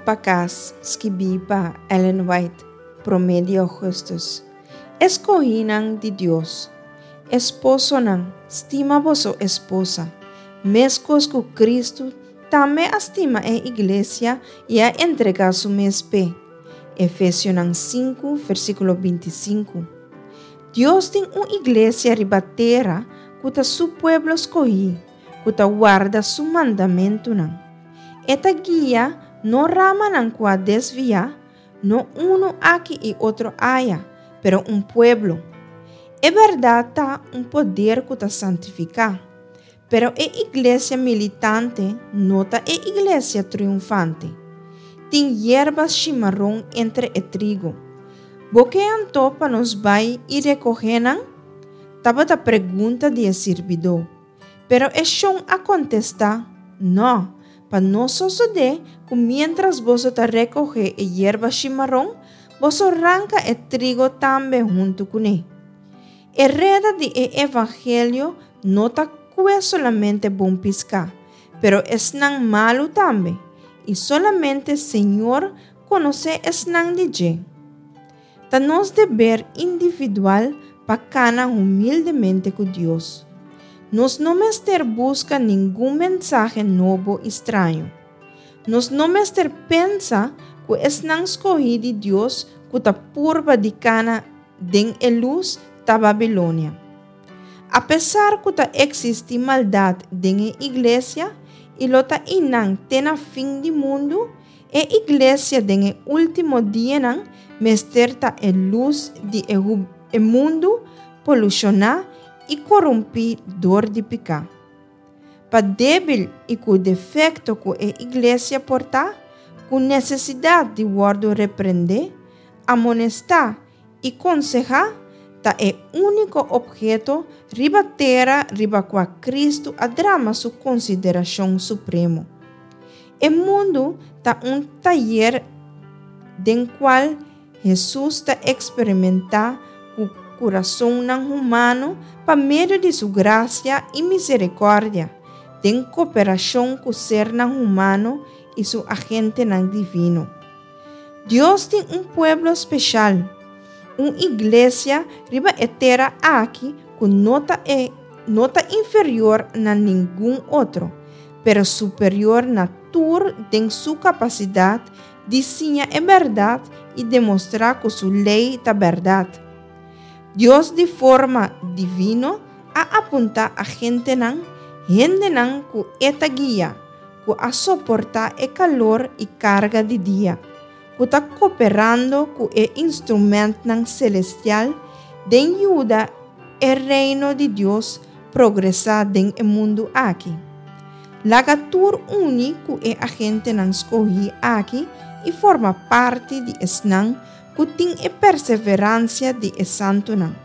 pa Kas, skibí pa Ellen White, promé di ougùstùs. Eskohínan di Dios. Esposonan, stima boso esposa, meskos ku Kristu tambe a stima e iglesia i a entregá su mes p'e. Efesionan sinku, versíkulo bintisinku. Dios tin un iglesia riba tera ku ta su pueblo skohí. ku ta warda su mandamentunan. E ta guia no ramanan ku a desviá, no unu aki i otro aya, pero un pueblo. E bèrdat ta un poder ku ta santifiká. Pero e iglesia militante no ta e iglesia triunfante. Tin yerba shimaron entre e trigo. Bo ke anto pa nos bai i rekohé nan? Tabata pregunta di e sirbidó. Pero e shon a kontestá, Nò, pa no sosodé ku miéntras boso ta rekohé e yerba shimaron, boso ranka e trigo tambe huntu kuné. E reda di e evangelio no ta kue solamente bon piská, pero esnan malu tambe, i solamente Señor konosé esnan di dje. Ta nos deber individual pa kana humildemente ku Dios. Nos no mester buska ningun mensahe nobo i straño. Nos no mester pensa ku esnan skohí di Dios ku ta purba di kana den e lus ta Babilonia. Apesar ku ta eksistí maldat den e iglesia i lo ta einan te na fin di mundu, E iglesia den e último dianan mester ta e lus di e e mundu polushoná i korumpí dor di piká. Pa débil i ku defekto ku e iglesia por ta, ku nesesidat di wòrdu reprendé, amonestá i konsehá, ta e úniko opheto riba tera riba kua Kristu a drama su konsiderashon supremo. E mundu ta un tayer den kual Hesus ta eksperimentá ku kurasonnan humano pa medio di su grasia i miserikòrdia, den koperashon ku sernan humano i su agentenan divino. Dios tin un pueblo speshal, un iglesia riba e tera aki ku no ta e no ta inferior na ningun otro, pero superior na tur den su kapasidat di siña e bèrdat i demostrá ku su lei ta bèrdat. Dios di forma divino a apuntá agentenan, hendenan ku e ta guia, ku a soportá e kalor i karga di dia, ku ta koperando ku e instrumentnan selestial den yuda e Reino di Dios progresá den e mundu aki. Laga tur uni ku e agentenan skohí aki i forma parti di esnan ku tin e perseveransia di e santunan,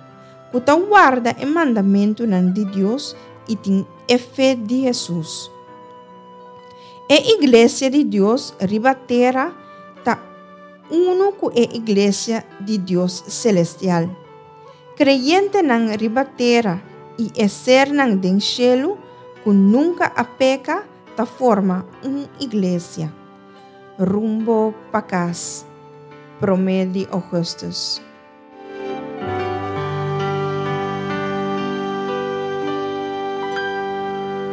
ku ta warda e mandamentunan di Dios i tin e fe di Hesus. E Iglesia di Dios riba tera ta unu ku e Iglesia di Dios selestial. Kreyentenan riba tera i e sernan den shelu ku nunka a peka ta forma un iglesia. Rumbo pa kas, promé di ougùstùs.